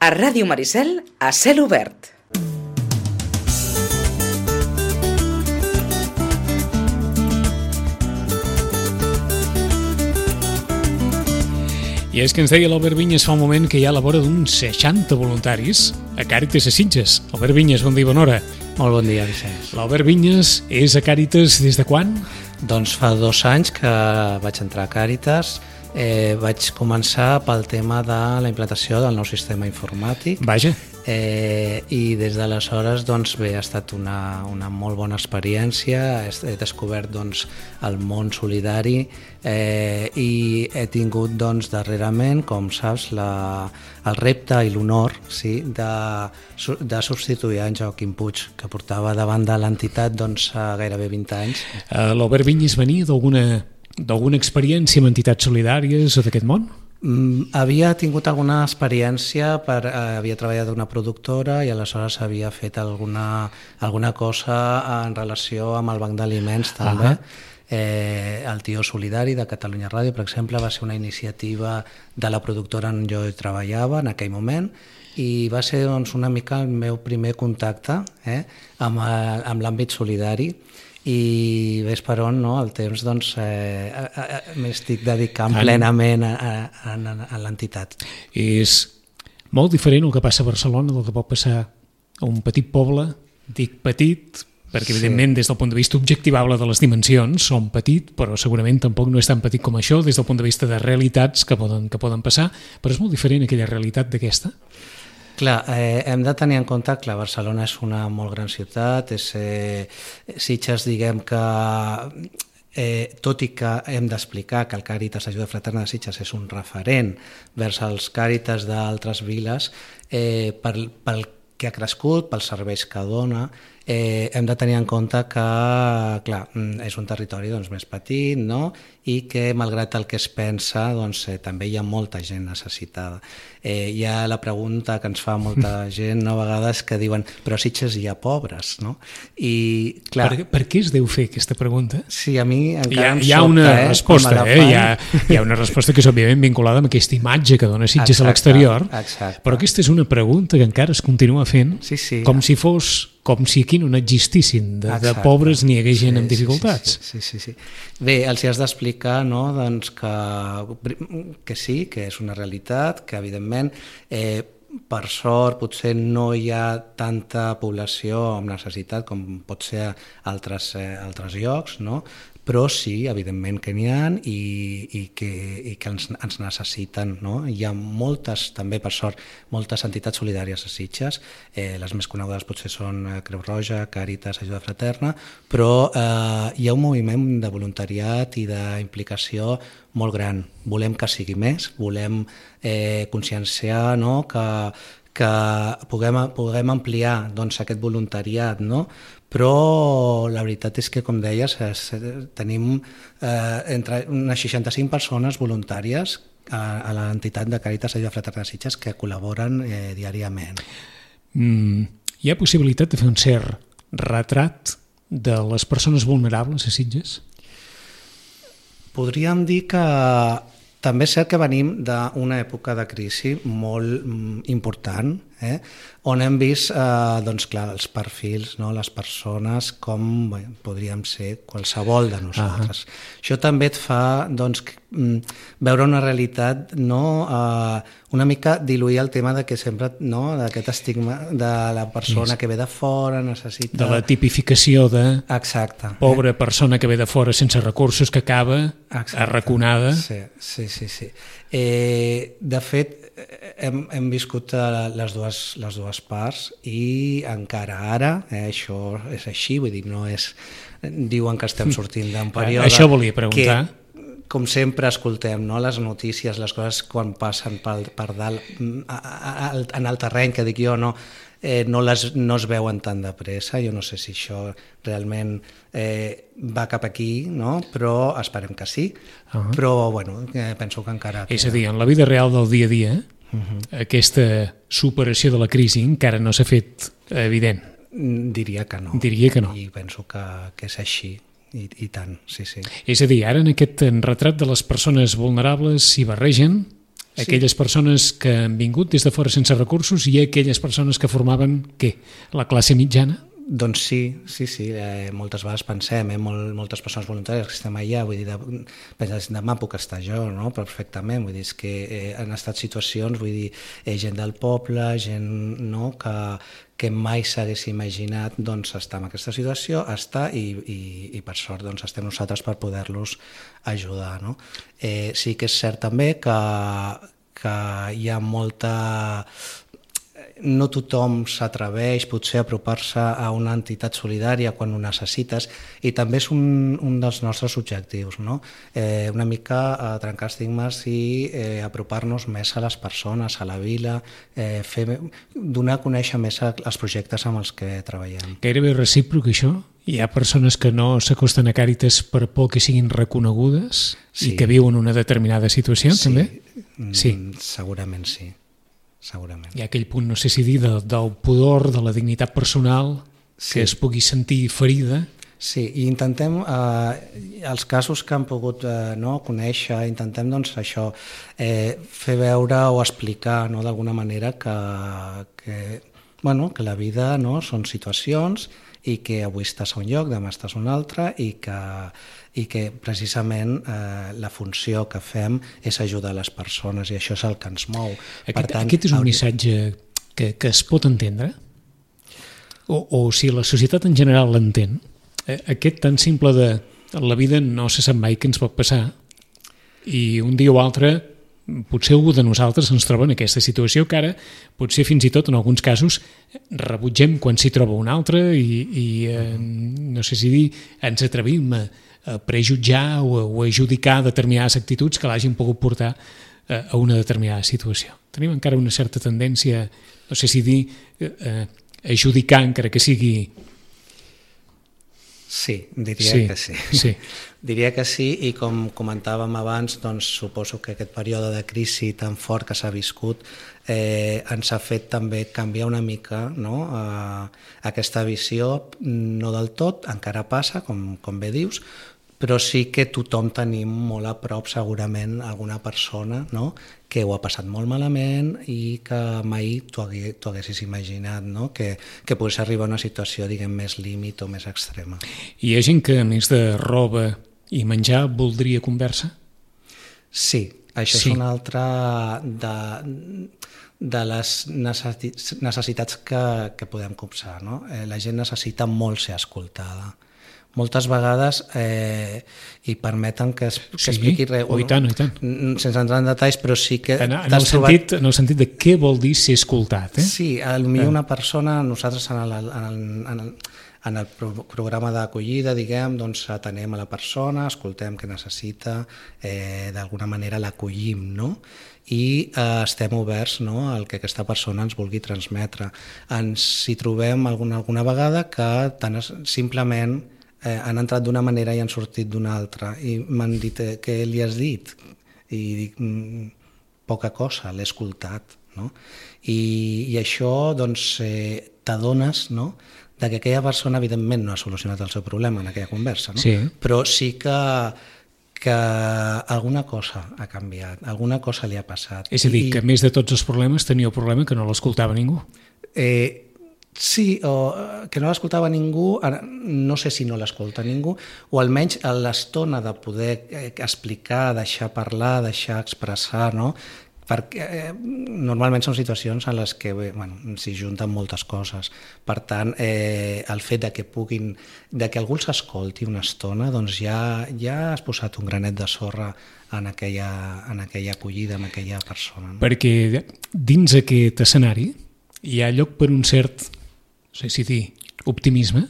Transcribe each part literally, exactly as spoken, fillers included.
A Ràdio Maricel, a cel obert. I és que ens deia l'Albert Vinyes fa un moment que hi ha a la vora d'uns seixanta voluntaris a Càritas a Sitges. Albert Vinyes, bon dia i bona hora. Molt bon dia, Vicenç. L'Albert Vinyes és a Càritas des de quan? Doncs fa dos anys que vaig entrar a Càritas. Eh, vaig començar pel tema de la implantació del nou sistema informàtic. Vaja. Eh, I des d'aleshores, doncs, bé, ha estat una, una molt bona experiència. He, he descobert, doncs, el món solidari eh, i he tingut, doncs, darrerament, com saps, la, el repte i l'honor, sí, de, de substituir en Joaquim Puig, que portava davant de l'entitat, doncs, gairebé vint anys. Uh, L'Albert Vinyes venia d'alguna d'alguna experiència amb entitats solidàries o d'aquest món? Mm, havia tingut alguna experiència, per, eh, havia treballat d'una productora i aleshores havia fet alguna, alguna cosa en relació amb el banc d'aliments també. Uh -huh. eh, el Tio Solidari de Catalunya Ràdio, per exemple, va ser una iniciativa de la productora on jo treballava en aquell moment i va ser, doncs, una mica el meu primer contacte eh, amb, el, amb l'àmbit solidari. I ves per on, no? El temps, doncs, eh, m'estic dedicant en... plenament a, a, a, a l'entitat. És molt diferent el que passa a Barcelona del que pot passar a un petit poble. Dic petit perquè, evidentment, sí, des del punt de vista objectivable de les dimensions, són petit, però segurament tampoc no és tan petit com això, des del punt de vista de realitats que poden, que poden passar, però és molt diferent aquella realitat d'aquesta. Clar, eh, hem de tenir en compte que Barcelona és una molt gran ciutat, és, eh, Sitges, diguem que, eh, tot i que hem d'explicar que el Càritas Ajuda Fraterna de Sitges és un referent vers els Càritas d'altres viles, eh, pel, pel que ha crescut, pels serveis que dona, eh, hem de tenir en compte que, clar, és un territori, doncs, més petit, no? I que, malgrat el que es pensa, doncs, eh, també hi ha molta gent necessitada. Eh, hi ha la pregunta que ens fa molta gent, no, a vegades, que diuen, però a Sitges hi ha pobres, no? I, clar... Per, per què es deu fer aquesta pregunta? Sí, a mi encara hi ha, em hi ha sobta, una eh, resposta, eh? Hi ha, hi ha una resposta que és, òbviament, vinculada amb aquesta imatge que dona Sitges exacte, a l'exterior, però aquesta és una pregunta que encara es continua fent, sí, sí, com si fos... com si aquí no n'existissin de, de pobres ni hi hagués gent sí, amb dificultats. Sí, sí, sí, sí. Bé, els hi has d'explicar, no, doncs que, que sí, que és una realitat, que evidentment eh, per sort potser no hi ha tanta població amb necessitat com pot ser a altres, eh, altres llocs, no? Però sí, evidentment que n'hi ha i, i que, i que ens, ens necessiten, no? Hi ha moltes, també per sort, moltes entitats solidàries a Sitges, eh, les més conegudes potser són Creu Roja, Càritas, Ajuda Fraterna, però eh, hi ha un moviment de voluntariat i d'implicació molt gran. Volem que sigui més, volem eh, conscienciar, no? que, que puguem, puguem ampliar, doncs, aquest voluntariat, no? Però la veritat és que, com deies, és, tenim eh, entre unes seixanta-cinc persones voluntàries a, a l'entitat de Càritas Ajuda Fraterna de Sitges que col·laboren eh, diàriament. Mm, hi ha possibilitat de fer un cert retrat de les persones vulnerables a Sitges? Podríem dir que també és cert que venim d'una època de crisi molt important, eh? On hem vist eh, doncs, clar, els perfils, no? Les persones com bé, podríem ser qualsevol de nosaltres. Uh-huh. Això també et fa doncs, veure una realitat, no? eh, una mica diluir el tema de que sempre, no? D'aquest estigma de la persona sí. que ve de fora, necessita... De la tipificació de exacte, pobra eh? persona que ve de fora sense recursos que acaba exacte. Arraconada. Sí, sí, sí. sí. Eh, de fet, hem, hem viscut les dues, les dues parts i encara ara, eh, això és així, vull dir, no és... Diuen que estem sortint d'un període... Això volia preguntar. Que, com sempre escoltem, no? Les notícies, les coses quan passen per, per dalt, a, a, a, en el terreny, que dic jo, no, eh, no, les, no es veuen tan de pressa. Jo no sé si això realment eh, va cap aquí, no? Però esperem que sí. Uh-huh. Però bueno, eh, penso que encara... És a dir, en la vida real del dia a dia, uh-huh. aquesta superació de la crisi encara no s'ha fet evident. Diria que no. Diria que no. I penso que, que és així. I, i tant, sí, sí. És a dir, ara en aquest retrat de les persones vulnerables s'hi barregen Aquelles persones que han vingut des de fora sense recursos i aquelles persones que formaven, què? La classe mitjana? Doncs sí, sí, sí. Eh, moltes vegades pensem, eh, molt, moltes persones voluntàries que estem allà, vull dir, de, penses, demà puc estar jo, no? Perfectament, vull dir, és que eh, han estat situacions, vull dir, eh, gent del poble, gent, no?, que, que mai s'hagués imaginat, doncs, estar en aquesta situació, estar i, i, i per sort, doncs, estem nosaltres per poder-los ajudar, no? Eh, sí que és cert també que, que hi ha molta... no tothom s'atreveix potser a apropar-se a una entitat solidària quan ho necessites, i també és un, un dels nostres objectius, no? Eh, una mica a trencar estigmes i eh, apropar-nos més a les persones, a la vila, eh, fer, donar a conèixer més els projectes amb els que treballem. Gairebé recíproc, això? Hi ha persones que no s'acosten a Càritas per por que siguin reconegudes sí. i que viuen una determinada situació, sí. també? Sí, segurament sí. Segurament. Hi ha aquell punt, no sé si dir, de, del pudor, de la dignitat personal, sí. que es pugui sentir ferida. Sí, i intentem, eh, els casos que han pogut eh, no, conèixer, intentem doncs, això, eh, fer veure o explicar no, d'alguna manera que, que, bueno, que la vida no, són situacions i que avui estàs a un lloc, demà estàs a un altre, i que, i que precisament eh, la funció que fem és ajudar les persones, i això és el que ens mou. Aquest, per tant, aquest és un hauria... missatge que, que es pot entendre? O, o si la societat en general l'entén? Aquest tan simple de la vida no se sap mai què ens pot passar, i un dia o altre potser algú de nosaltres ens troba en aquesta situació que ara potser fins i tot en alguns casos rebutgem quan s'hi troba un altre i, i eh, no sé si dir, ens atrevim a, a prejutjar o a, o a judicar determinades actituds que l'hagin pogut portar a, a una determinada situació. Tenim encara una certa tendència, no sé si dir, eh, a judicar encara que sigui... Sí, diria sí, que sí. sí. Diria que sí, i com comentàvem abans, doncs suposo que aquest període de crisi tan fort que s'ha viscut eh, ens ha fet també canviar una mica, no? eh, aquesta visió, no del tot, encara passa, com, com bé dius, però sí que tothom tenim molt a prop segurament alguna persona, no?, que ho ha passat molt malament i que mai t'ho haguessis imaginat, no?, que, que pogués arribar a una situació, diguem, més límit o més extrema. Hi ha gent que, a més de roba i menjar, voldria conversa? Sí, això sí. És una altra de, de les necessitats que, que podem copsar, no? Eh, la gent necessita molt ser escoltada. Moltes vegades, eh, i permeten que, es, que sí, expliqui res, oh, i tant, i tant. sense entrar en detalls, però sí que... En, en, el sentit, trobat... en el sentit de què vol dir ser escoltat. Eh? Sí, potser una persona, nosaltres en el, en el, en el, en el pro programa d'acollida, diguem, doncs atenem a la persona, escoltem què necessita, eh, d'alguna manera l'acollim, no?, i eh, estem oberts, no?, al que aquesta persona ens vulgui transmetre. Ens hi trobem alguna, alguna vegada que tan simplement Eh, han entrat d'una manera i han sortit d'una altra, i m'han dit eh, què li has dit, i dic mm, poca cosa, l'he escoltat, no? I, i això doncs eh, t'adones, no?, de que aquella persona evidentment no ha solucionat el seu problema en aquella conversa, no? Sí. Però sí que que alguna cosa ha canviat, alguna cosa li ha passat. És a dir, I, que a més de tots els problemes tenia el problema que no l'escoltava ningú. Eh, Sí, o que no l'escoltava ningú, no sé si no l'escolta ningú, o almenys l'estona de poder explicar, deixar parlar, deixar expressar, no? Perquè eh, normalment són situacions en les que bueno, s'hi junten moltes coses. Per tant, eh, el fet de que puguin, de que algú s'escolti una estona, doncs ja, ja has posat un granet de sorra en aquella, en aquella acollida, en aquella persona. No? Perquè dins aquest escenari hi ha lloc per un cert, no sé si dir, optimisme,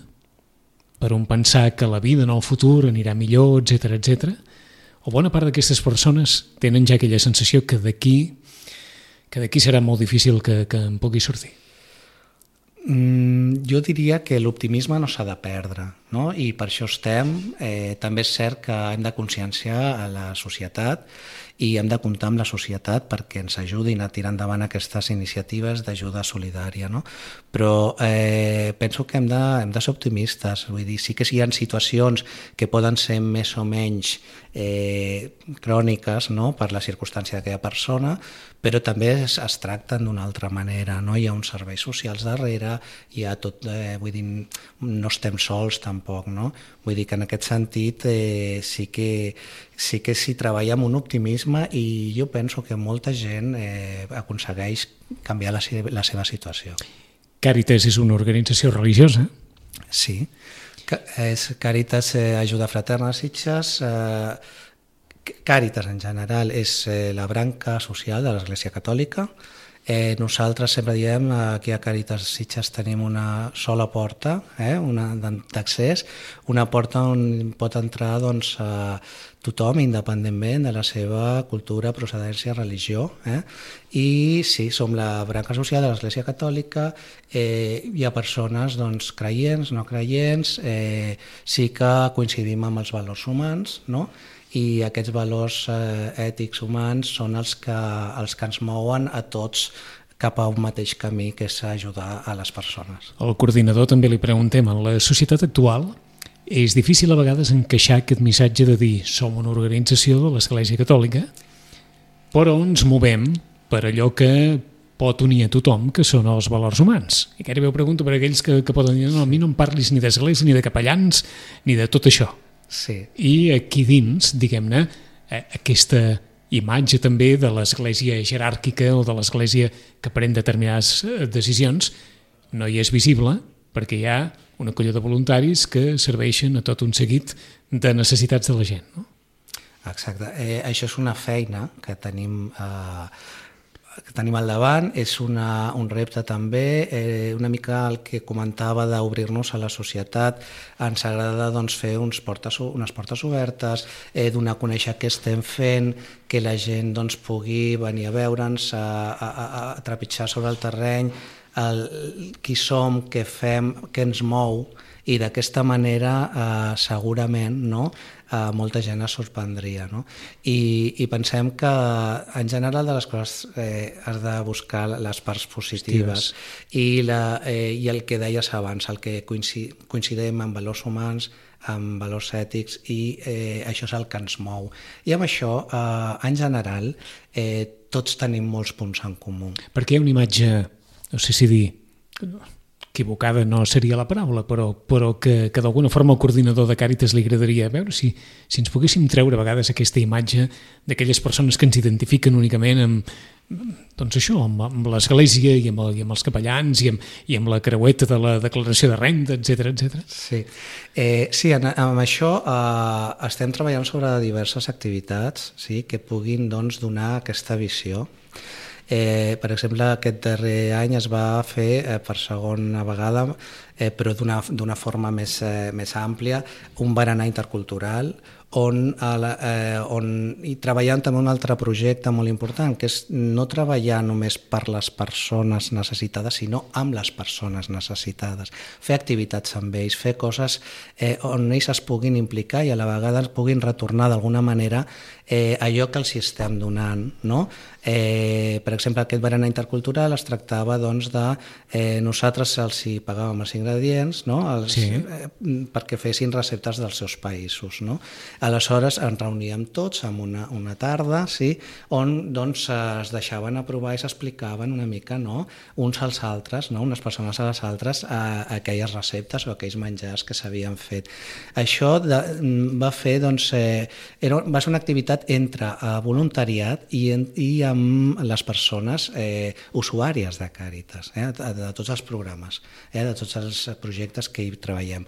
per un pensar que la vida en el futur anirà millor, etcètera, etcètera. O bona part d'aquestes persones tenen ja aquella sensació que d'aquí que d'aquí serà molt difícil que, que en pugui sortir. Mm, jo diria que l'optimisme no s'ha de perdre, no? I per això estem. Eh, també és cert que hem de conscienciar a la societat i hem de comptar amb la societat perquè ens ajudin a tirar endavant aquestes iniciatives d'ajuda solidària, no? Però eh, penso que hem de, hem de ser optimistes, vull dir, sí que hi ha situacions que poden ser més o menys eh, cròniques, no?, per la circumstància d'aquella persona, però també es, es tracten d'una altra manera, no? Hi ha uns serveis socials darrere, hi ha tot, eh, vull dir, no estem sols tampoc, no? Vull dir que en aquest sentit eh, sí que sí que s'hi treballa amb un optimisme i jo penso que molta gent eh, aconsegueix canviar la, la seva situació. Càritas és una organització religiosa? Sí, és Càritas eh, Ajuda Fraterna Sitges. Eh, Càritas en general és eh, la branca social de l'Església Catòlica. Eh, nosaltres sempre diem aquí a Càritas Sitges tenim una sola porta, eh, una d'accés, una porta on pot entrar doncs, a tothom independentment de la seva cultura, procedència, religió. Eh? I sí, som la branca social de l'Església Catòlica, eh, hi ha persones doncs, creients, no creients, eh, sí que coincidim amb els valors humans, no? I aquests valors eh, ètics humans són els que, els que ens mouen a tots cap a un mateix camí, que és ajudar a les persones. Al coordinador també li preguntem, en la societat actual és difícil a vegades encaixar aquest missatge de dir som una organització de l'Església Catòlica, però ens movem per allò que pot unir a tothom, que són els valors humans. I gairebé ho pregunto per aquells que, que poden dir no, a mi no em parlis ni d'església, ni de capellans, ni de tot això. Sí. I aquí dins, diguem-ne, aquesta imatge també de l'església jeràrquica o de l'església que pren determinades decisions no hi és visible perquè hi ha una colla de voluntaris que serveixen a tot un seguit de necessitats de la gent, no? Exacte. Eh, això és una feina que tenim eh, que tenim al davant, és una, un repte també, eh, una mica el que comentava d'obrir-nos a la societat. Ens agrada doncs, fer uns portes, unes portes obertes, eh, donar a conèixer què estem fent, que la gent doncs, pugui venir a veure'ns, a, a, a, a trepitjar sobre el terreny, el, qui som, què fem, què ens mou, i d'aquesta manera eh, segurament no, eh, molta gent es sorprendria. No? I, I pensem que en general de les coses eh, has de buscar les parts positives i, la, eh, i el que deies abans, el que coincidim en valors humans, amb valors ètics, i eh, això és el que ens mou. I amb això, eh, en general, eh, tots tenim molts punts en comú. Perquè hi ha una imatge, no sé si dir, equivocada no seria la paraula, però, però que, que d'alguna forma al coordinador de Càritas li agradaria veure si, si ens poguéssim treure a vegades aquesta imatge d'aquelles persones que ens identifiquen únicament amb, doncs això, amb, amb l'església i amb, el, i amb els capellans i amb, i amb la creueta de la declaració de renda, etcètera, etcètera. Sí, eh, sí en, amb això eh, estem treballant sobre diverses activitats, sí, que puguin doncs, donar aquesta visió. Eh, per exemple, aquest darrer any es va fer eh, per segona vegada, eh, però d'una forma més, eh, més àmplia, un berenar intercultural on, eh, on i treballant també un altre projecte molt important, que és no treballar només per les persones necessitades, sinó amb les persones necessitades. Fer activitats amb ells, fer coses eh, on ells es puguin implicar i a la vegada es puguin retornar d'alguna manera eh, allò que els estem donant, no? Eh, per exemple, aquest berenar intercultural es tractava doncs, de eh, nosaltres els hi pagàvem els ingredients, no? els, sí. eh, perquè fessin receptes dels seus països. No? Aleshores ens reuníem tots en una, una tarda, sí, on doncs, es deixaven aprovar i s'explicaven una mica, no? uns als altres, no? unes persones a les altres, a, a aquelles receptes o aquells menjars que s'havien fet. Això de, va fer, doncs, eh, era, va ser una activitat entre eh, voluntariat i, i amb les persones eh, usuàries de Càritas, eh, de, de tots els programes, eh, de tots els projectes que hi treballem.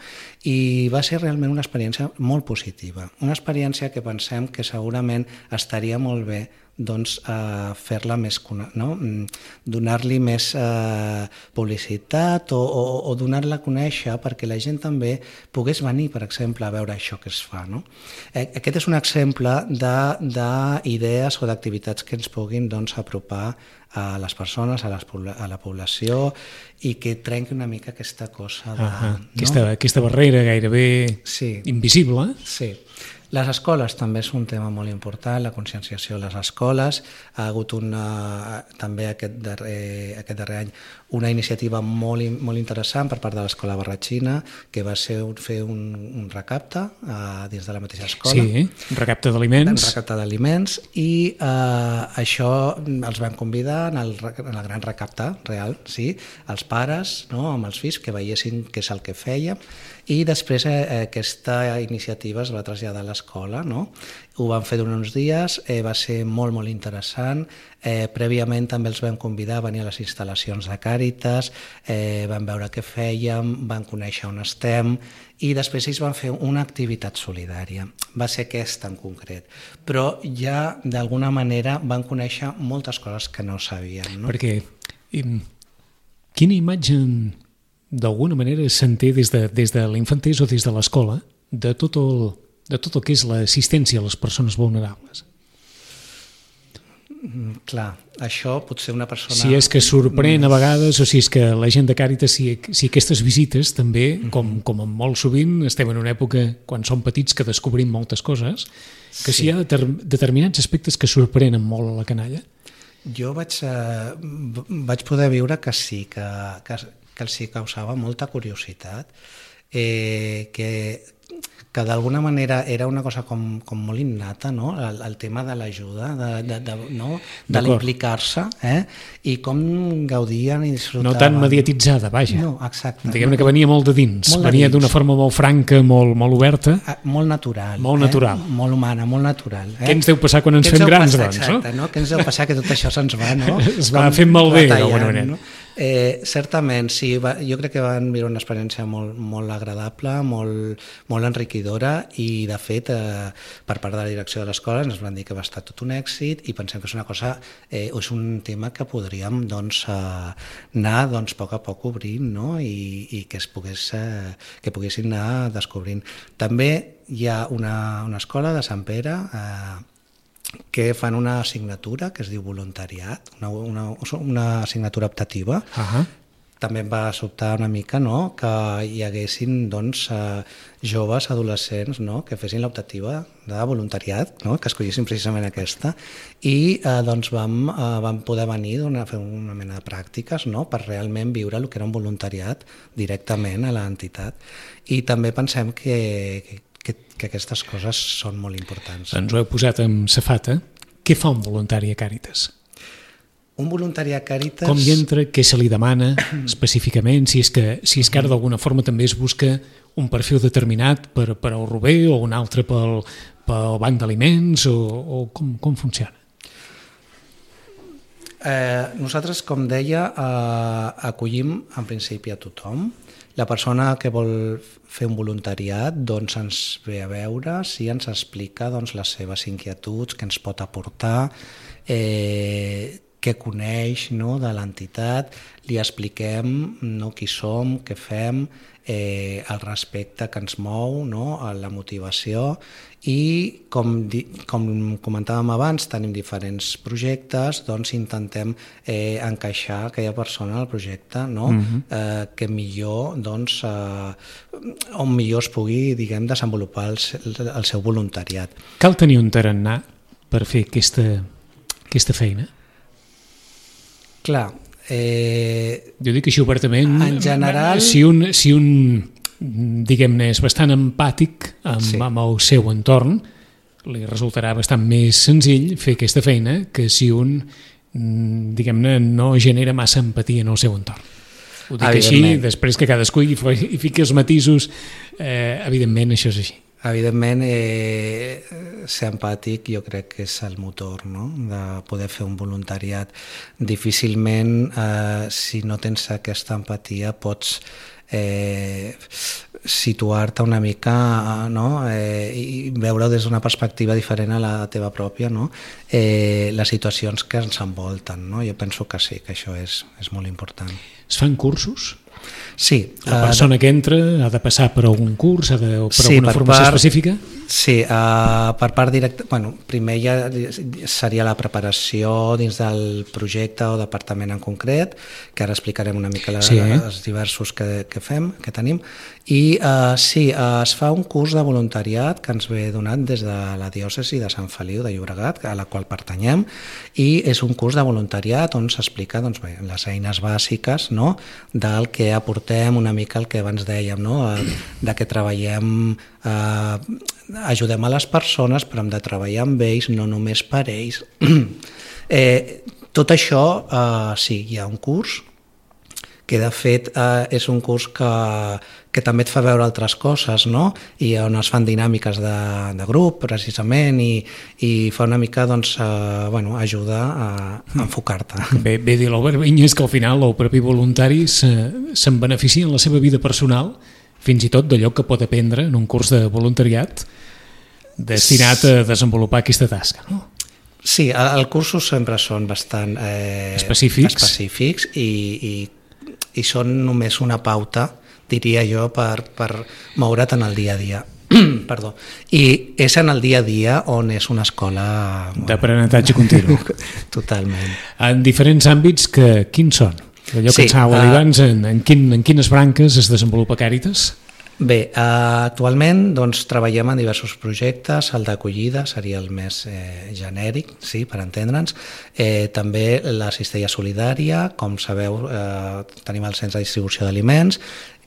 I va ser realment una experiència molt positiva, una experiència que pensem que segurament estaria molt bé doncs, eh, fer-la més, no? Donar-li més eh, publicitat o, o, o donar-la a conèixer perquè la gent també pogués venir, per exemple, a veure això que es fa. No? Aquest és un exemple d'idees o d'activitats que ens puguin doncs, apropar a les persones, a, les, a la població i que trenqui una mica aquesta cosa de... Uh -huh. no? aquesta, aquesta barrera gairebé sí. invisible. Sí. Les escoles també és un tema molt important, la conscienciació a les escoles. Ha hagut una, també aquest darrer, aquest darrer any una iniciativa molt, molt interessant per part de l'Escola Barratxina, que va ser un, fer un, un recapte uh, dins de la mateixa escola. Sí, un recapte d'aliments. Un recapte d'aliments i uh, això els vam convidar en el, en el gran recapte real, sí, els pares, no, amb els fills, que veiessin què és el que fèiem. I després eh, aquesta iniciativa es va traslladar a l'escola, no? Ho van fer durant uns dies, eh, va ser molt, molt interessant. Eh, prèviament també els vam convidar a venir a les instal·lacions de Càritas, eh, van veure què fèiem, van conèixer on estem i després ells van fer una activitat solidària. Va ser aquesta en concret. Però ja d'alguna manera van conèixer moltes coses que no sabien. No? Perquè quina imatge d'alguna manera s'entén des de, des de l'infantès o des de l'escola de tot el, de tot el que és l'assistència a les persones vulnerables? Mm, clar, això potser una persona... Si és que sorprèn a vegades o si és que la gent de Càritas, si, si aquestes visites també, mm-hmm. com, com molt sovint, estem en una època quan som petits que descobrim moltes coses, que sí. Si hi ha deter, determinats aspectes que sorprenen molt a la canalla? Jo vaig, eh, vaig poder viure que sí, que, que que els hi causava molta curiositat, eh, que, que d'alguna manera era una cosa com, com molt innata, no? el, el tema de l'ajuda, de, de, de, no? de l'implicar-se, eh? I com gaudien i disfrutaven. No tan mediatitzada, vaja. No, exacte. Diguem-ne que venia molt de dins, molt de venia dins. D'una forma molt franca, molt, molt oberta. Ah, molt natural. Molt natural. Eh? Molt humana, molt natural. Eh? Què ens deu passar quan ens fem grans, doncs? Exacte, no? Què ens deu passar que tot això se'ns va, no? Es va fent malbé, d'alguna manera. No? Eh, certament, sí, va, jo crec que van viure una experiència molt, molt agradable, molt, molt enriquidora i, de fet, eh, per part de la direcció de l'escola ens van dir que va estar tot un èxit i pensem que és una cosa, eh, és un tema que podríem doncs, eh, anar doncs, a poc a poc obrint, no? I, i que, es pogués, eh, que poguessin anar descobrint. També hi ha una, una escola de Sant Pere eh, que fan una assignatura que es diu voluntariat, una, una, una assignatura optativa. Uh-huh. També em va sobtar una mica, no?, que hi haguessin doncs, eh, joves, adolescents, no?, que fessin l'optativa de voluntariat, no?, que escollissin precisament aquesta, i eh, doncs vam, eh, vam poder venir a fer una mena de pràctiques, no?, per realment viure el que era un voluntariat directament a l'entitat. I també pensem que, que Que, que aquestes coses són molt importants. Ens ho heu posat amb safata. Què fa un voluntari a Càritas? Un voluntari a Càritas... Com hi entra, què se li demana específicament, si és que, si és que ara d'alguna forma també es busca un perfil determinat per, per al Rober o un altre pel, pel banc d'aliments o, o com, com funciona? Eh, nosaltres, com deia, eh, acollim en principi a tothom. La persona que vol fer un voluntariat doncs ens ve a veure, si ens explica doncs, les seves inquietuds, què ens pot aportar, eh, què coneix, no?, de l'entitat, li expliquem, no?, qui som, què fem, eh, el respecte que ens mou, no?, la motivació i, com, di, com comentàvem abans, tenim diferents projectes, doncs intentem eh, encaixar aquella persona al projecte, no?, uh-huh. eh, que millor, doncs, eh, on millor es pugui, diguem, desenvolupar el, el seu voluntariat. Cal tenir un tarannà per fer aquesta, aquesta feina? Clar, eh, jo dic així obertament, en general, si un, si un diguem-ne, és bastant empàtic amb, sí. amb el seu entorn, li resultarà bastant més senzill fer aquesta feina que si un, diguem-ne, no genera massa empatia en el seu entorn. Ho dic així, després que cadascú hi, hi fiqui els matisos, eh, evidentment això és així. Evidentment, eh, ser empàtic jo crec que és el motor, no?, de poder fer un voluntariat. Difícilment, eh, si no tens aquesta empatia, pots eh, situar-te una mica, no? eh, i veure des d'una perspectiva diferent a la teva pròpia, no? eh, les situacions que ens envolten. No? Jo penso que sí, que això és, és molt important. Es fan cursos? Sí. La persona uh, que entra ha de passar per algun curs, ha de, per sí, alguna per formació part, específica? Sí, uh, per part directa... Bueno, primer ja seria la preparació dins del projecte o departament en concret, que ara explicarem una mica les, sí, eh? els diversos que, que fem, que tenim, i uh, sí, uh, es fa un curs de voluntariat que ens ve donat des de la diòcesi de Sant Feliu de Llobregat, a la qual pertanyem, i és un curs de voluntariat on s'explica doncs, bé, les eines bàsiques, no?, del que aportem, una mica el que abans dèiem, no?, de que treballem, eh, ajudem a les persones, però hem de treballar amb ells, no només per ells. eh, tot això, eh, sí, hi ha un curs, que de fet eh, és un curs que, que també et fa veure altres coses, no? I on es fan dinàmiques de, de grup, precisament, i, i fa una mica, doncs, eh, bueno, ajudar a, a enfocar-te. Bé, bé dir l'Albert Vinyes que al final el propi voluntari se'n beneficia en la seva vida personal, fins i tot d'allò que pot aprendre en un curs de voluntariat destinat a desenvolupar aquesta tasca, no? Sí, els cursos sempre són bastant eh, específics, específics i, i i són només una pauta, diria jo, per, per moure't en el dia a dia. Perdó. I és en el dia a dia on és una escola... Bueno, d'aprenentatge continu. Totalment. En diferents àmbits, que, quins són? Allò que sí, ens anava a dir abans, en, en, quin, en quines branques es desenvolupa Càritas? Bé, eh, actualment doncs, treballem en diversos projectes, el d'acollida seria el més eh, genèric, sí, per entendre'ns. Eh, també la cistella solidària, com sabeu, eh, tenim el centre de distribució d'aliments,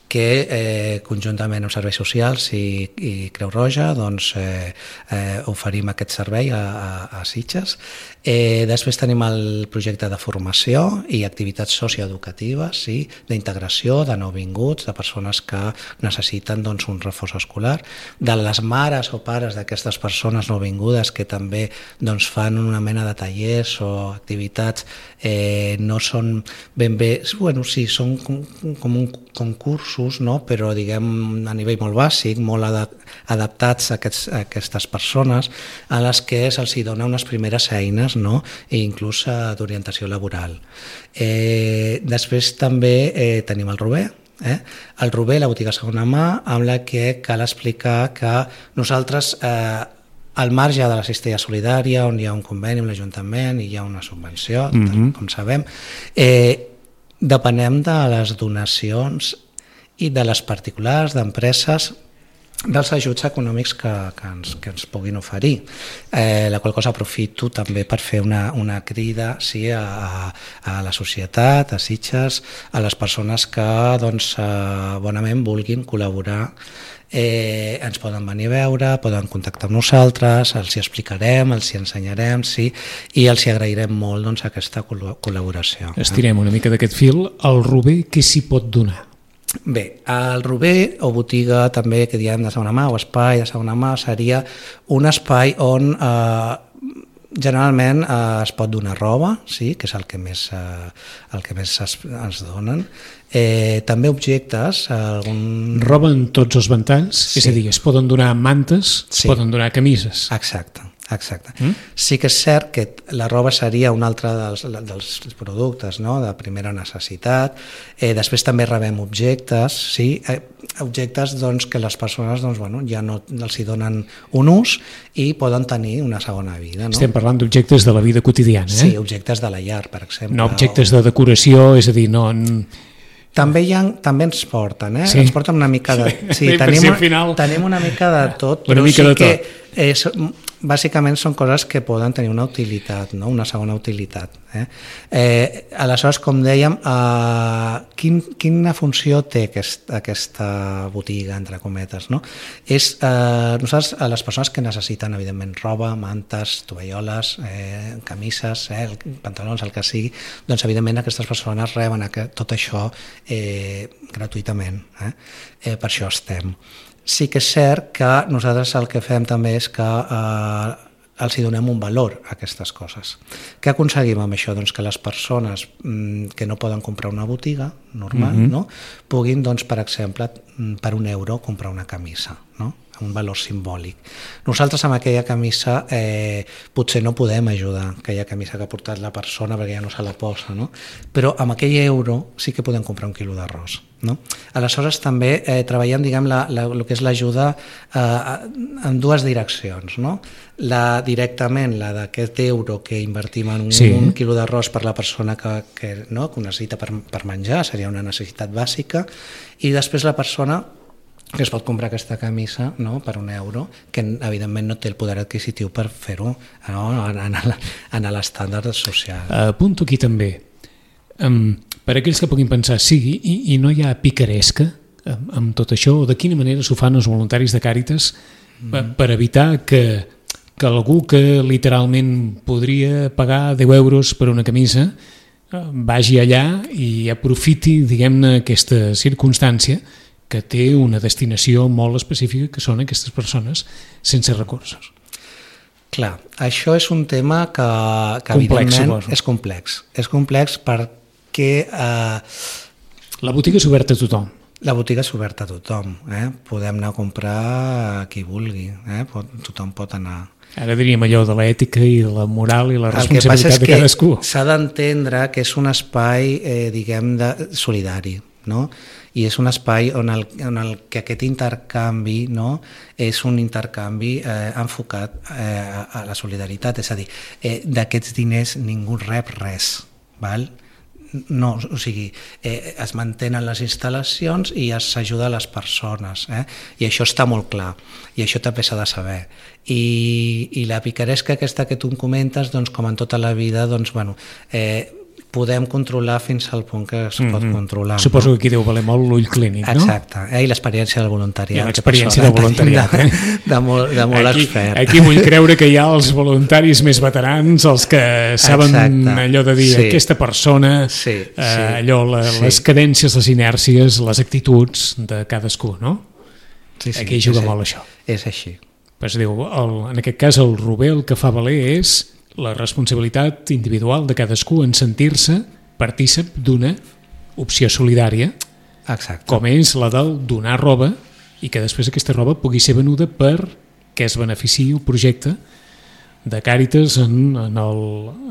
que eh, conjuntament amb serveis socials i, i Creu Roja doncs, eh, eh, oferim aquest servei a, a, a Sitges. Eh, després tenim el projecte de formació i activitats socioeducatives, sí, d'integració de nouvinguts, de persones que necessiten doncs, un reforç escolar, de les mares o pares d'aquestes persones nouvingudes que també doncs, fan una mena de tallers o activitats, eh, no són ben bé, bueno, sí, són com, com un concursos, no? Però diguem a nivell molt bàsic, molt adaptats a, aquests, a aquestes persones a les que se'ls dona unes primeres eines, no? I inclús d'orientació laboral. Eh, després també eh, tenim el Rober, eh? el Rober, la botiga segona mà, amb la que cal explicar que nosaltres eh, al marge de la cistella solidària, on hi ha un conveni amb l'Ajuntament i hi ha una subvenció, mm-hmm. com sabem, eh, depenem de les donacions i de les particulars, d'empreses, dels ajuts econòmics que, que, ens, que ens puguin oferir. Eh, la qual cosa aprofito també per fer una, una crida sí, a, a la societat, a Sitges, a les persones que doncs, eh, bonament vulguin col·laborar. Eh, ens poden venir a veure, poden contactar amb nosaltres, els hi explicarem, els hi ensenyarem, sí, i els hi agrairem molt doncs, aquesta col·laboració. Estirem una mica d'aquest fil. El Rober, què s'hi pot donar? Bé, el Rober, o botiga també que diem de segona mà, o espai de segona mà, seria un espai on eh, generalment eh, es pot donar roba, sí, que és el que més, eh, el que més es, ens donen. Eh, també objectes. Algun... Roba en tots els ventalls, sí. És a dir, es poden donar mantes, sí. Es poden donar camises. Exacte. Exacte. Mm? Sí que és cert que la roba seria un altre dels, dels productes, no? De primera necessitat. Eh, després també rebem objectes, sí? eh, objectes doncs, que les persones doncs, bueno, ja no els hi donen un ús i poden tenir una segona vida. No? Estem parlant d'objectes de la vida quotidiana. Eh? Sí, objectes de la llar, per exemple. No objectes o... de decoració, és a dir, no... També, ha, també ens porten, eh? Sí. Ens porten una mica de... Sí, sí, tenim, si final... tenim una mica de tot, una però mica sí de que tot. és, bàsicament són coses que poden tenir una utilitat, no? Una segona utilitat. Eh? Eh, aleshores, com dèiem, eh, quin, quina funció té aquest, aquesta botiga, entre cometes? No? És eh, nosaltres, a les persones que necessiten, evidentment, roba, mantes, tovalloles, eh, camises, eh, pantalons, el que sigui, doncs, evidentment, aquestes persones reben aquest, tot això eh, gratuïtament. Eh? Eh, per això estem. Sí que és cert que nosaltres el que fem també és que eh, els hi donem un valor a aquestes coses. Què aconseguim amb això? Doncs que les persones mm, que no poden comprar una botiga normal, mm-hmm. no? puguin, doncs, per exemple, per un euro comprar una camisa, no? Un valor simbòlic. Nosaltres amb aquella camisa eh, potser no podem ajudar, aquella camisa que ha portat la persona perquè ja no se la posa, no? Però amb aquell euro sí que podem comprar un quilo d'arròs. No? Aleshores també eh, treballem, diguem, la, la, el que és l'ajuda eh, en dues direccions, no? La, directament la d'aquest euro que invertim en un, sí. un quilo d'arròs per la persona que, que, no? que ho necessita per, per menjar, seria una necessitat bàsica, i després la persona que es pot comprar aquesta camisa, no? per un euro, que evidentment no té el poder adquisitiu per fer-ho, no? en, en l'estàndard social. Apunto aquí també, um, per aquells que puguin pensar, sí, i, i no hi ha picaresca amb, amb tot això, o de quina manera s'ho fan els voluntaris de Càritas mm. per evitar que, que algú que literalment podria pagar deu euros per una camisa vagi allà i aprofiti, diguem-ne, aquesta circumstància que té una destinació molt específica, que són aquestes persones sense recursos. Clar, això és un tema que, que complex, evidentment suposo. és complex. És complex perquè... Eh, la botiga és oberta a tothom. La botiga és oberta a tothom. Eh? Podem anar a comprar a qui vulgui. Eh? Pot, tothom pot anar. Ara diríem allò de l'ètica i de la moral i la responsabilitat de cadascú. El que passa és que s'ha d'entendre que és un espai, eh, diguem, de, solidari, no? I és un espai on, el, on el, que aquest intercanvi, no? és un intercanvi eh, enfocat eh, a la solidaritat, és a dir, eh, d'aquests diners ningú rep res, val? No, o sigui, eh, es mantenen les instal·lacions i s'ajuda a les persones, eh? I això està molt clar, i això també s'ha de saber. I, i la picaresca aquesta que tu em comentes, doncs, com en tota la vida, doncs, bueno, eh, podem controlar fins al punt que es pot mm-hmm. controlar. Suposo no? que aquí deu valer molt l'ull clínic, no? Exacte, eh? I l'experiència del voluntariat. I l'experiència del voluntariat, de, eh? De, de molt, de molt aquí, expert. Aquí vull creure que hi ha els voluntaris més veterans, els que saben Exacte. allò de dir sí. aquesta persona, sí, sí, eh, allò, la, sí. les cadències, les inèrcies, les actituds de cadascú, no? Sí, sí, aquí juga sí, molt això. És així. Pues diu, el, en aquest cas el Rubé el que fa valer és la responsabilitat individual de cadascú en sentir-se partícip d'una opció solidària. Exacte. Com és la del donar roba i que després aquesta roba pugui ser venuda per que es beneficiï el projecte de Càritas en, en, el,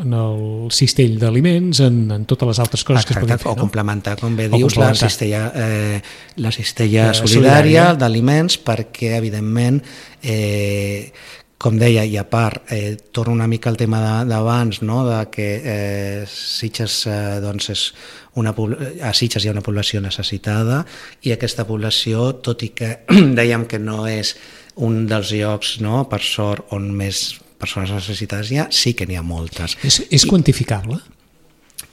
en el cistell d'aliments, en, en totes les altres coses Exacte. que es poden fer. O no? complementar, com bé o dius, la cistella, eh, la cistella eh, solidària, solidària d'aliments perquè, evidentment, eh, com deia, i a part, eh, torno una mica al tema d'abans, no? de que eh, Sitges, eh, doncs és una, a Sitges hi ha una població necessitada i aquesta població, tot i que dèiem que no és un dels llocs, no? per sort, on més persones necessitades hi ha, sí que n'hi ha moltes. És, és quantificable?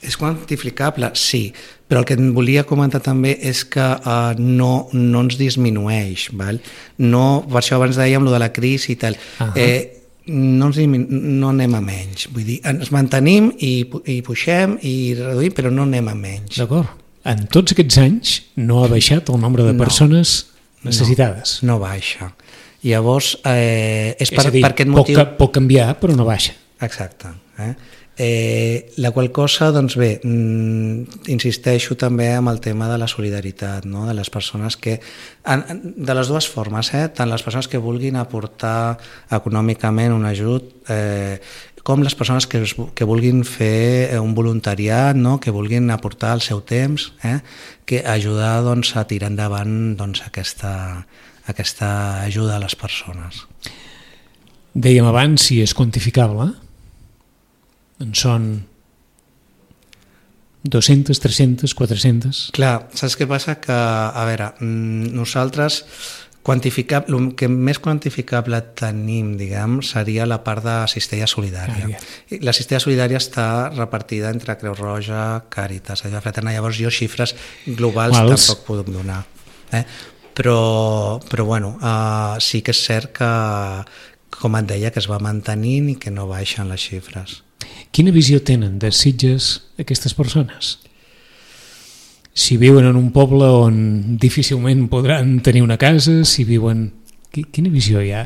És quantificable, sí, però el que em volia comentar també és que uh, no, no ens disminueix, val? No, per això abans dèiem lo de la crisi i tal, uh-huh. eh, no, ens diminu... no anem a menys, vull dir, ens mantenim i, i puixem i reduïm, però no anem a menys. D'acord. En tots aquests anys no ha baixat el nombre de persones no, necessitades? No, no baixa. Llavors, eh, és, és per, a dir, per aquest motiu... Pot, pot canviar, però no baixa. Exacte. Eh? Eh, la qual cosa, doncs bé, mm, insisteixo també amb el tema de la solidaritat, no? de les persones que, en, de les dues formes, eh? tant les persones que vulguin aportar econòmicament un ajut, eh, com les persones que, que vulguin fer un voluntariat, no? que vulguin aportar el seu temps, eh? que ajudar doncs, a tirar endavant doncs, aquesta, aquesta ajuda a les persones. Dèiem abans si és quantificable, en són dues-centes, tres-centes, quatre-centes... Clar, saps què passa? Que, a veure, nosaltres quantificable, el que més quantificable tenim, diguem, seria la part de cistella solidària. Ah, yeah. La cistella solidària està repartida entre Creu Roja, Càritas, allò fraternal. Llavors jo xifres globals Quals? tampoc puc donar. Eh? Però, però bueno, uh, sí que és cert que, com et deia, que es va mantenint i que no baixen les xifres. Quina visió tenen de Sitges aquestes persones? Si viuen en un poble on difícilment podran tenir una casa, si viuen... Quina visió hi ha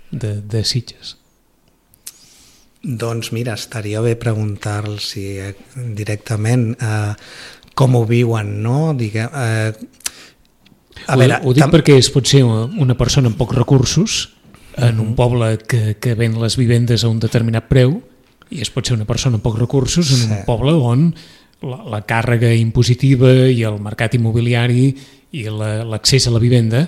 de, de Sitges? Doncs mira, estaria bé preguntar-los eh, directament eh, com ho viuen, no? Diguem, eh, a ho, veure, ho dic tam... perquè es pot ser una persona amb pocs recursos en un poble que, que ven les vivendes a un determinat preu, i es pot ser una persona amb pocs recursos en sí. un poble on la, la càrrega impositiva i el mercat immobiliari i l'accés a la vivenda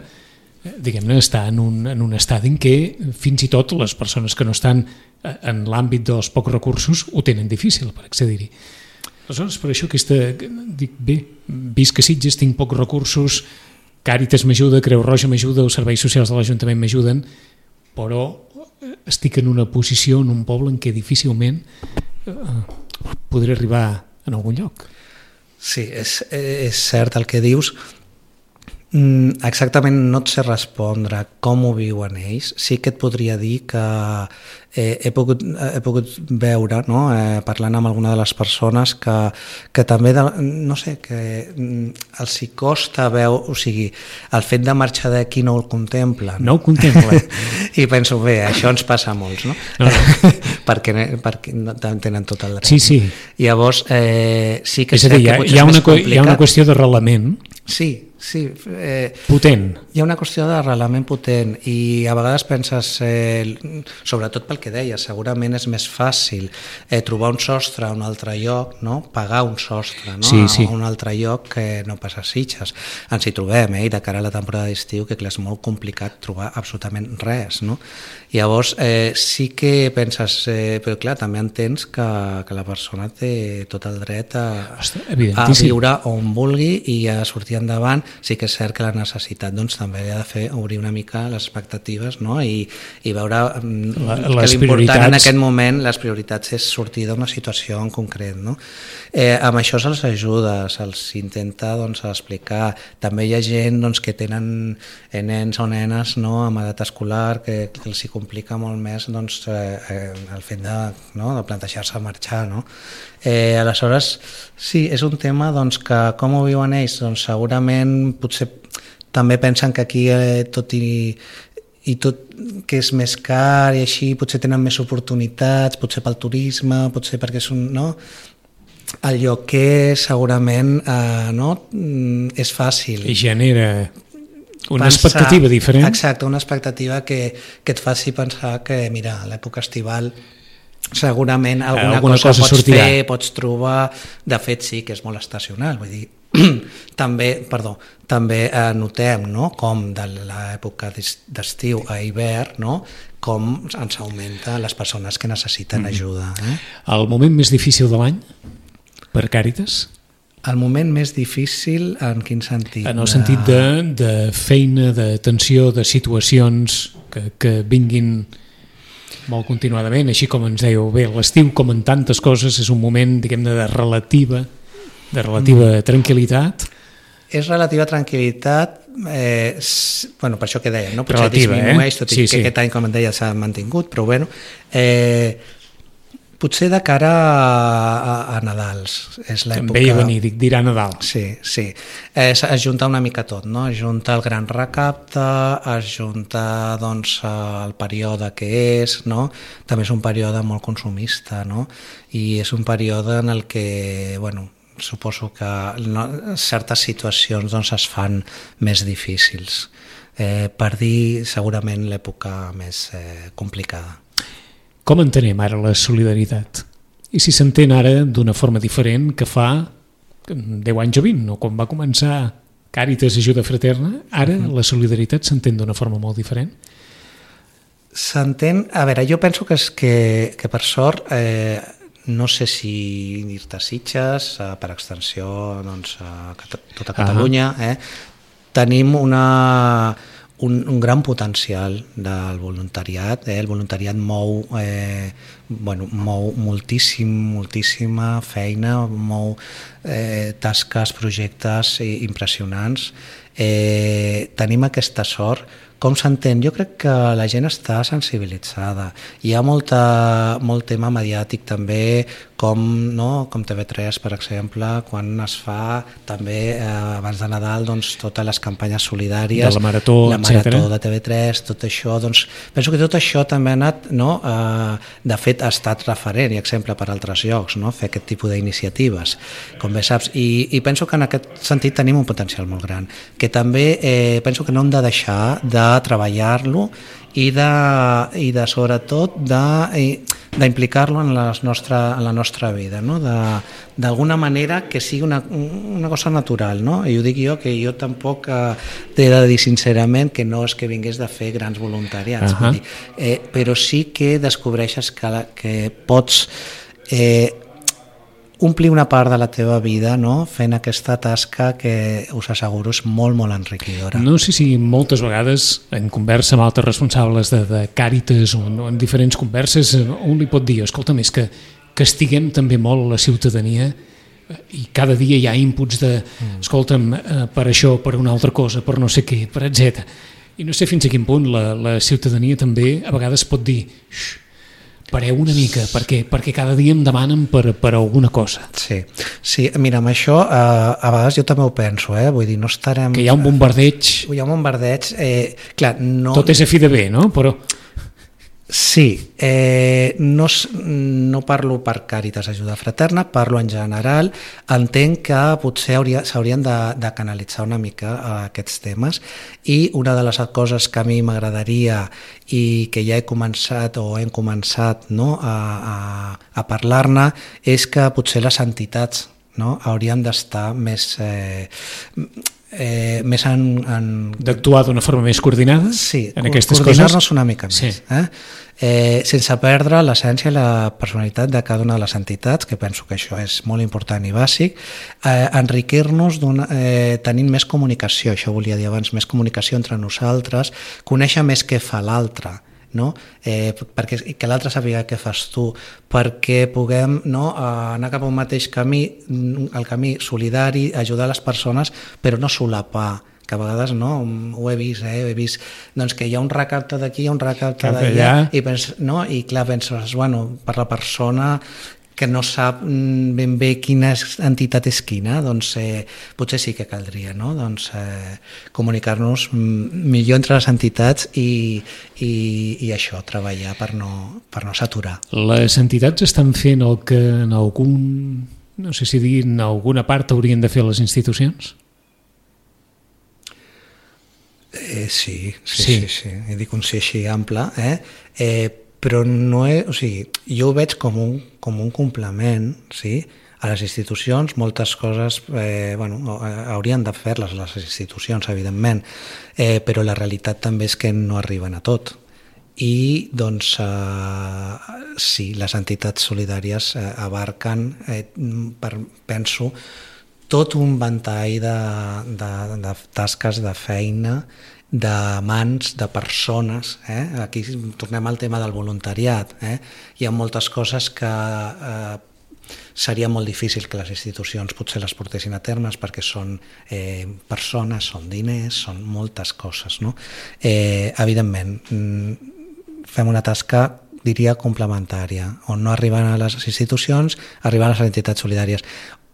diguem-ne, està en un, en un estadi en què fins i tot les persones que no estan en l'àmbit dels pocs recursos ho tenen difícil per accedir-hi. Aleshores, per això aquesta, dic, bé, visc a Sitges, tinc pocs recursos, Càritas m'ajuda, Creu Roja m'ajuda, els serveis socials de l'Ajuntament m'ajuden, però estic en una posició en un poble en què difícilment eh, podré arribar en algun lloc. Sí, és, és cert el que dius. Mm, exactament no et sé respondre com ho viuen ells. Sí que et podria dir que eh, he, pogut, he pogut veure, no? eh, parlant amb alguna de les persones, que, que també, de, no sé, que els hi costa veure, o sigui, el fet de marxar d'aquí no el contemplen. No ho contemplen. I penso, bé, això ens passa a molts, no? no, no. perquè, perquè no tenen tot el dret. Sí, sí. Llavors, eh, sí que és a dir, hi ha, hi, ha una, hi ha una qüestió d'arrelament. Sí, sí. Eh, potent. Hi ha una qüestió d'arrelament potent i a vegades penses, eh, sobretot pel que deies, segurament és més fàcil eh, trobar un sostre a un altre lloc, no? Pagar un sostre, no? Sí, sí. A un altre lloc que no pas a Sitges. Ens hi trobem, eh? I de cara a la temporada d'estiu, que clar, és molt complicat trobar absolutament res, no? Llavors, eh, sí que penses, eh, però clar, també entens que, que la persona té tot el dret a, a viure on vulgui i a sortir endavant. Sí que és cert que la necessitat doncs, també ha de fer obrir una mica les expectatives, no? I, i veure la, que l'important en aquest moment, les prioritats, és sortir d'una situació en concret, no? Eh, amb això se'ls ajuda, se'ls intenta doncs, explicar. També hi ha gent doncs, que tenen nens o nenes, no? Amb edat escolar que, que els hi complica molt més doncs, eh, el fet de, no? de plantejar-se marxar, no? Eh, aleshores, sí, és un tema doncs, que com ho viuen ells? Doncs segurament potser també pensen que aquí eh, tot i, i tot que és més car i així potser tenen més oportunitats, potser pel turisme, potser perquè és un... No? El lloquer segurament eh, no? és fàcil. I genera una pensar, expectativa diferent. Exacte, una expectativa que, que et faci pensar que, mira, a l'època estival segurament alguna, alguna cosa, cosa pots sortirà. Fer, pots trobar, de fet sí que és molt estacional, vull dir, també, perdó, també eh, notem, no?, com de l'època d'estiu a hivern, no?, com ens augmenta les persones que necessiten ajuda. Eh? El moment més difícil de l'any per Càritas? El moment més difícil en quin sentit? En el sentit de, de feina, d'atenció, de situacions que, que vinguin molt continuadament, així com ens dèieu, bé, l'estiu, com en tantes coses, és un moment, diguem-ne, de relativa, de relativa mm. tranquil·litat. És relativa tranquil·litat, eh, bueno, per això que dèiem, no? Potser relativa, disminueix, eh? tot i sí, que sí. aquest any, com et deia, s'ha mantingut, però bueno, eh, potser de cara a, a Nadals. És l'època... Em veia venir, dic, dirà Nadal. Sí, sí. Es, es junta una mica tot, no? Es junta el gran recapte, es junta doncs, el període que és, no? També és un període molt consumista, no? I és un període en el que, bueno, suposo que no, certes situacions doncs, es fan més difícils. Eh, per dir segurament l'època més eh, complicada. Com entenem ara la solidaritat? I si s'entén ara d'una forma diferent que fa deu anys o vint, o quan va començar Càritas Ajuda Fraterna, ara uh-huh. la solidaritat s'entén d'una forma molt diferent? S'entén... A veure, jo penso que, és que, que per sort, eh, no sé si dir-te Sitges, eh, per extensió doncs, a tota Catalunya, uh-huh. eh, tenim una... Un, un gran potencial del voluntariat, eh? El voluntariat mou, eh, bueno, mou moltíssim, moltíssima feina, mou eh, tasques, projectes impressionants. Eh, tenim aquesta sort com s'entén? Jo crec que la gent està sensibilitzada. Hi ha molta, molt tema mediàtic també, com, no, com T V tres, per exemple, quan es fa també eh, abans de Nadal doncs, totes les campanyes solidàries, de la Marató, la Marató etcètera de T V tres, tot això, doncs, penso que tot això també ha anat, no, eh, de fet ha estat referent i exemple per altres llocs, no, fer aquest tipus d'iniciatives, com bé saps, i, i penso que en aquest sentit tenim un potencial molt gran, que també eh, penso que no hem de deixar de treballar-lo i de, i de sobretot d'implicar-lo en, nostra, en la nostra vida, no? D'alguna manera que sigui una, una cosa natural, no? I ho dic jo, que jo tampoc eh, t'he de dir sincerament que no és que vingués de fer grans voluntariats, uh-huh. dir, eh, però sí que descobreixes que, que pots eh, omplir una part de la teva vida, no? Fent aquesta tasca que us asseguro és molt, molt enriquidora. No sé si moltes vegades en conversa amb altres responsables de, de Càritas o no, en diferents converses un li pot dir, escolta, més que, que estiguem també molt la ciutadania i cada dia hi ha inputs de mm. escolta'm, per això, per una altra cosa, per no sé què, per etcètera. I no sé fins a quin punt la, la ciutadania també a vegades pot dir xx, pareu una mica, perquè, perquè cada dia em demanen per, per alguna cosa. Sí, sí, mira, amb això eh, a vegades jo també ho penso, eh? Vull dir, no estarem... Que hi ha un bombardeig... Hi ha un bombardeig, eh, clar, no... Tot és a fi de bé, no? Però... Sí, eh, no, no parlo per Càritas Ajuda Fraterna, parlo en general. Entenc que potser s'haurien de, de canalitzar una mica a aquests temes i una de les coses que a mi m'agradaria i que ja he començat o hem començat, no, a, a, a parlar-ne és que potser les entitats, no, haurien d'estar més... Eh, Eh, més en, en... d'actuar d'una forma més coordinada sí, en aquestes coses? Coordinar-nos una mica més, sí. eh? Eh, sense perdre l'essència i la personalitat de cada una de les entitats, que penso que això és molt important i bàsic, eh, enriquir-nos eh, tenint més comunicació, això volia dir abans, més comunicació entre nosaltres, conèixer més què fa l'altre, no? eh, perquè, que l'altre sàpiga què fas tu, perquè puguem, no, anar cap a un mateix camí, el camí solidari, ajudar les persones, però no solapar, que a vegades no, ho he vist, eh, he vist doncs, que hi ha un recapte d'aquí, un recapte d'allà, i, pens, no, i clar, penses, bueno, per la persona que no sap ben bé quina entitat és quina, doncs eh, potser sí que caldria, no? Doncs, eh, comunicar-nos millor entre les entitats i, i, i això, treballar per no, per no saturar. Les entitats estan fent el que en algun, no sé si dir, en alguna part haurien de fer les institucions? Eh, sí, sí, sí, sí, sí. He dit un sí així ample, eh? eh però no és, o sigui, jo ho veig com un, com un complement, sí? A les institucions, moltes coses eh, bueno, haurien de fer-les les institucions, evidentment, eh, però la realitat també és que no arriben a tot. I doncs eh, sí, les entitats solidàries eh, abarquen, eh, per, penso, tot un ventall de, de, de tasques, de feina, de mans, de persones. Eh? Aquí tornem al tema del voluntariat. Eh? Hi ha moltes coses que eh, seria molt difícil que les institucions potser les portessin a termes perquè són eh, persones, són diners, són moltes coses. No? Eh, evidentment, fem una tasca, diria, complementària, on no arriben a les institucions, arriben a les entitats solidàries.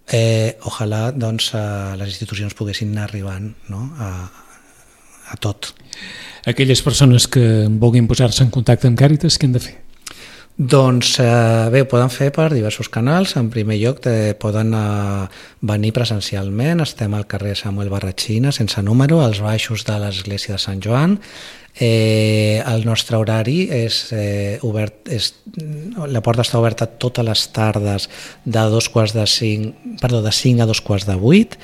Eh, ojalà doncs, eh, les institucions poguessin anar arribant, no? a a tot. Aquelles persones que vulguin posar-se en contacte amb Càritas, què han de fer? Doncs eh, bé, ho poden fer per diversos canals. En primer lloc eh, poden eh, venir presencialment, estem al carrer Samuel Barratxina, sense número, als baixos de l'església de Sant Joan. Eh, el nostre horari és, eh, obert, és la porta està oberta totes les tardes de dos quarts de cinc, perdó, de cinc a dos quarts de vuit,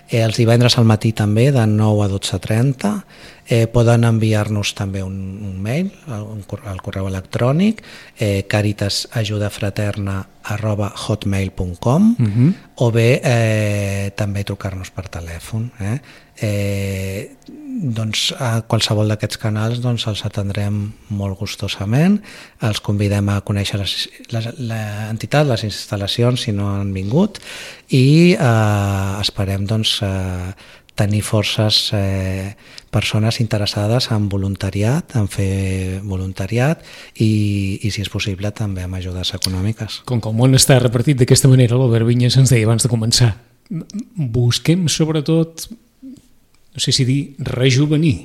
eh, els divendres al matí també de nou a dotze trenta. Eh, poden enviar-nos també un, un mail un, al correu electrònic eh, caritasajudafraterna arroba hotmail punt com uh-huh. o bé eh, també trucar-nos per telèfon. Eh? Eh, doncs a qualsevol d'aquests canals doncs, els atendrem molt gustosament, els convidem a conèixer l'entitat, les instal·lacions si no han vingut i eh, esperem doncs, eh, tenir forces eh, persones interessades en voluntariat, en fer voluntariat i, i si és possible també amb ajudes econòmiques. Com que el món està repartit d'aquesta manera, l'Albert Vinyes ens deia abans de començar, busquem sobretot, no sé si dir, rejuvenir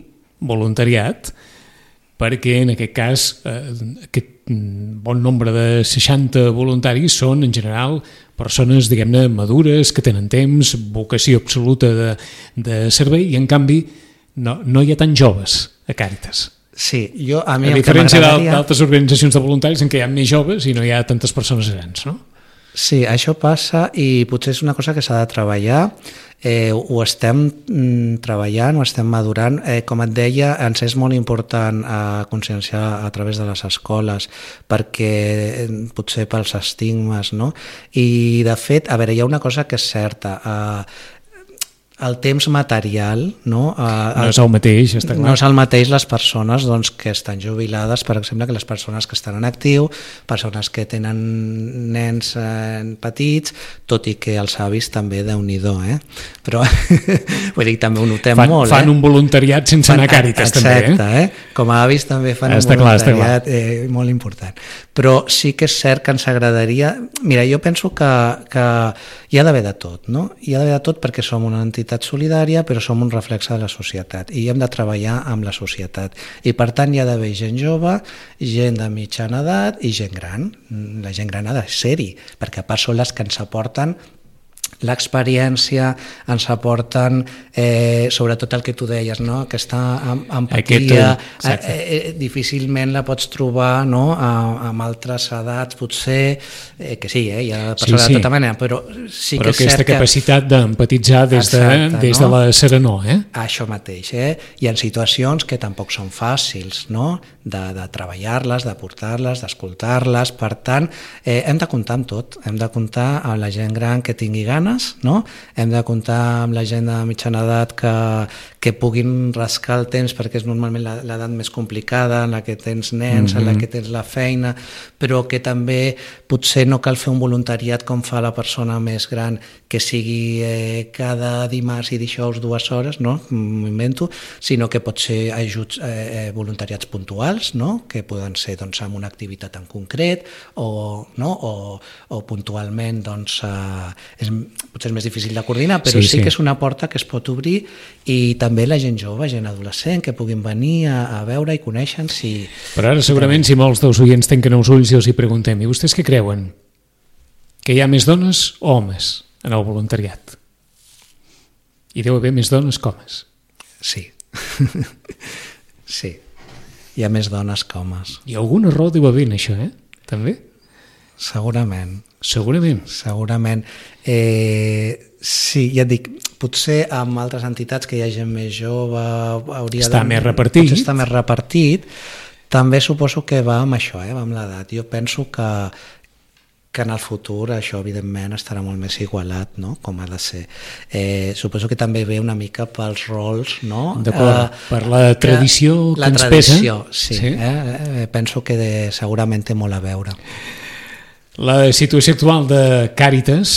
voluntariat, perquè en aquest cas eh, aquest bon nombre de seixanta voluntaris són en general persones, diguem-ne, madures, que tenen temps, vocació absoluta de, de servei, i en canvi no, no hi ha tan joves a Càritas. Sí, jo a mi a diferència d'altres organitzacions de voluntaris en què hi ha més joves i no hi ha tantes persones grans, no? Sí, això passa i potser és una cosa que s'ha de treballar, eh, ho estem mm, treballant, ho estem madurant. Eh, com et deia, ens és molt important eh, conscienciar a través de les escoles perquè eh, potser pels estigmes, no? I de fet, a veure, hi ha una cosa que és certa, eh, el temps material, no? No és el mateix, està clar. No és el mateix les persones doncs, que estan jubilades, per exemple, que les persones que estan en actiu, persones que tenen nens eh, petits, tot i que els avis també, Déu-n'hi-do, eh? Però, vull dir, també ho notem fan, molt. Fan eh? un voluntariat sense fan, anar a Càritas, també, eh? Exacte, eh? Com a avis també fan està un voluntariat clar, eh, molt important. Però sí que és cert que ens agradaria... Mira, jo penso que, que hi ha d'haver de tot, no? Hi ha d'haver de tot perquè som una entitat solidària, però som un reflex de la societat i hem de treballar amb la societat. I per tant hi ha d'haver gent jove, gent de mitjana edat i gent gran. La gent gran ha de ser-hi, perquè a part són les que ens aporten l'experiència, ens aporten eh, sobretot el que tu deies, no? Aquesta empatia, eh, eh, difícilment la pots trobar, no? A, amb altres edats, potser, eh, que sí, eh? Hi ha persones sí, sí. de tota manera, però sí però que és cert aquesta capacitat que... d'empatitzar des, Exacte, de, des no? de la serenor, eh? Això mateix, eh? Hi ha situacions que tampoc són fàcils, no? De, de treballar-les, de portar-les, d'escoltar-les, per tant, eh, hem de comptar amb tot, hem de comptar amb la gent gran que tingui ganes, no? Hem de comptar amb la gent de mitjana edat que, que puguin rascar el temps perquè és normalment l'edat més complicada en la que tens nens, mm-hmm. en la que tens la feina, però que també potser no cal fer un voluntariat com fa la persona més gran, que sigui eh, cada dimarts i dijous dues hores, no? M'ho invento, sinó que pot ser ajuts, eh, voluntariats puntuals, no? Que poden ser doncs, amb una activitat en concret o, no? o, o puntualment doncs, eh, és, potser és més difícil de coordinar, però sí, sí, sí que és una porta que es pot obrir, i també la gent jove, gent adolescent, que puguin venir a, a veure i conèixer-nos. Si... Però ara segurament si molts dels oients tanquen els ulls i els hi preguntem, i vostès què creuen? Que hi ha més dones o homes en el voluntariat? Hi deu haver més dones que homes. Sí. Sí. Hi ha més dones que homes. I alguna raó deu haver en això, eh? També? Segurament. Segurament. Segurament. Eh, sí, ja et dic, potser amb altres entitats que hi ha gent més jove hauria està de... més repartit. Potser està més repartit. També suposo que va amb això, eh, va amb l'edat. Jo penso que, que en el futur això evidentment estarà molt més igualat, no? Com ha de ser. Eh, suposo que també ve una mica pels rols, no? D'acord, eh, per la tradició que, la ens tradició, pesa. Sí, sí. Eh? Penso que de, segurament té molt a veure. La situació actual de Càritas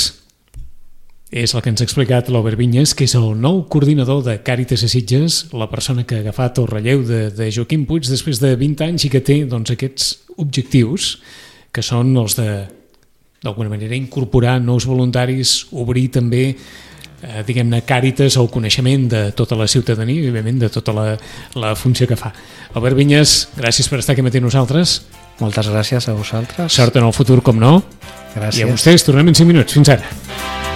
és el que ens ha explicat l'Albert Vinyes, que és el nou coordinador de Càritas a Sitges, la persona que ha agafat el relleu de, de Joaquim Puig després de vint anys i que té doncs, aquests objectius, que són els de, d'alguna manera, incorporar nous voluntaris, obrir també, eh, diguem-ne, Càritas al coneixement de tota la ciutadania i, òbviament, de tota la, la funció que fa. Albert Vinyes, gràcies per estar aquí amb nosaltres. Moltes gràcies a vosaltres. Sort en el futur, com no. Gràcies. I a vostès tornem en cinc minuts. Fins ara.